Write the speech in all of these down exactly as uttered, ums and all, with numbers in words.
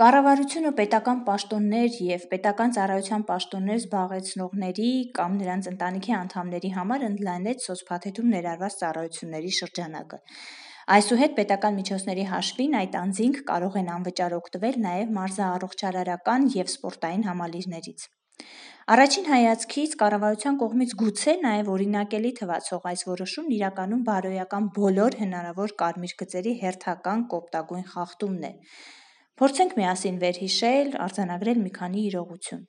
Կառավարությունը պետական պաշտոններ և պետական ծառայության պաշտոններ զբաղեցնողների կամ նրանց ընտանիքի անդամների համար ընդլայնեց սոցփաթեթում ներառված ծառայությունների շրջանակը։ Այսուհետ պետական միջոցների հաշվին այդ անձինք կարող են անվճար օգտվել նաև մարզաառողջարարական և սպորտային համալիրներից։ Առաջին հայացքից կառավարության կողմից գուցե նաև օրինակելի թվացող այս որոշումն իրականում բարոյական բոլոր հնարավոր կարմիր գծերի հերթական կոպտագույն խախտումն է։ Փորձենք միասին վերհիշել, արձանագրել մի քանի իրողություն։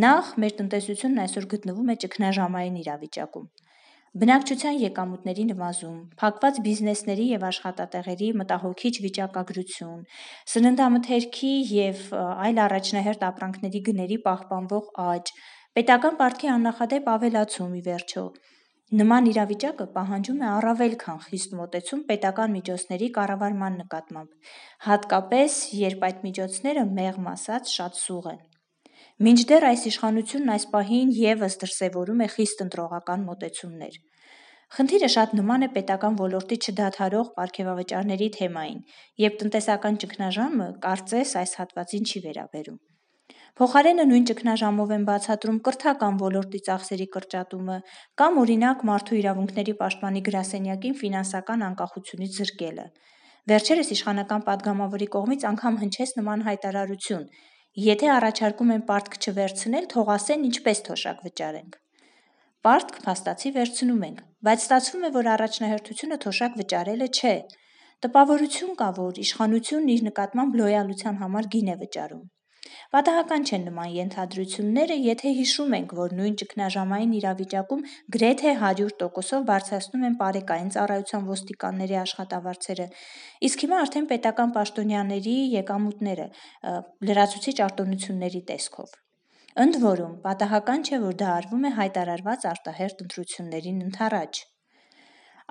Նախ, մեր տնտեսությունն այսօր գտնվում է ճգնաժամային իրավիճակում։ Բնակչության եկամուտների նվազում, փակված բիզնեսների և աշխատատեղերի մտահոգիչ վիճակագրություն, սննդամթերքի և այլ առաջնահերթ ապրանքների գների պահպանվող աճ, պետական պարտքի աննախադեպ ավելացում ի վերջո։ Նման իրավիճակը պահանջում է առավել քան խիստ մոտեցում պետական միջոցների կառավարման նկատմամբ, հատկապես, երբ այդ միջոցները, մեղմ ասած, շատ սուղ են։ Մինչդեռ այս իշխանությունն այս պահին ևս դրսևորում է խիստ ընտրողական մոտեցումներ։ Խնդիրը շատ նման է պետական ոլորտի չդադարող պարգևավճարների թեմային, և տնտեսական ճգնաժամը, կարծես, այս հատվածին չի վերաբերում։ Փոխարենը նույն ճգնաժամով են բացատրում կրթական ոլորտի ծախսերի կրճատումը կամ, օրինակ, մարդու իրավունքների պաշտպանի գրասենյակին ֆինանսական անկախությունից զրկելը։ Վերջերս իշխանական պատգամավորի կողմից անգամ հնչեց նման հայտարարություն՝ եթե առաջարկում են պարտք չվերցնել, թող ասեն ինչպես թոշակ վճարենք։ Պարտք, փաստացի, վերցնում ենք, բայց ստացվում է, որ առաջնահերթությունը թոշակ վճարելը չէ։ Տպավորություն կա, որ իշխանությունն իր նկատմամբ լոյալության համար գին է վճարում։ Պատահական չեն նման ենթադրությունները, եթե հիշում ենք, որ նույն ճգնաժամային իրավիճակում գրեթե հարյուր տոկոսով բարձրացնում են պարեկային ծառայության ոստիկանների աշխատավարձերը, իսկ հիմա արդեն պետական պաշտոնյաների եկամուտները՝ լրացուցիչ արտոնությունների տեսքով։ Ընդ որում, պատահական չէ, որ դա արվում է հայտարարված արտահերթ ընտրություններին ընդառաջ։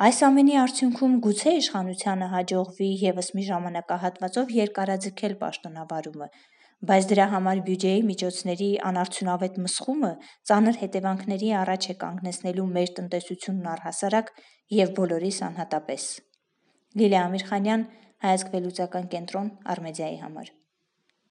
Այս ամենի արդյունքում գուցե իշխանությանը հաջողվի ևս մի ժամանակահատվածով երկարաձգել պաշտոնավարումը, բայց դրա համար բյուջեի միջոցների անարդյունավետ մսխումը ծանր հետևանքների առաջ է կանգնեցնելու մեր տնտեսությունն առհասարակ և բոլորիս անհատապես։ Լիլիա Ամիրխանյան, Հայացք վերլուծական կենտրոն, Արմեդիայի համար։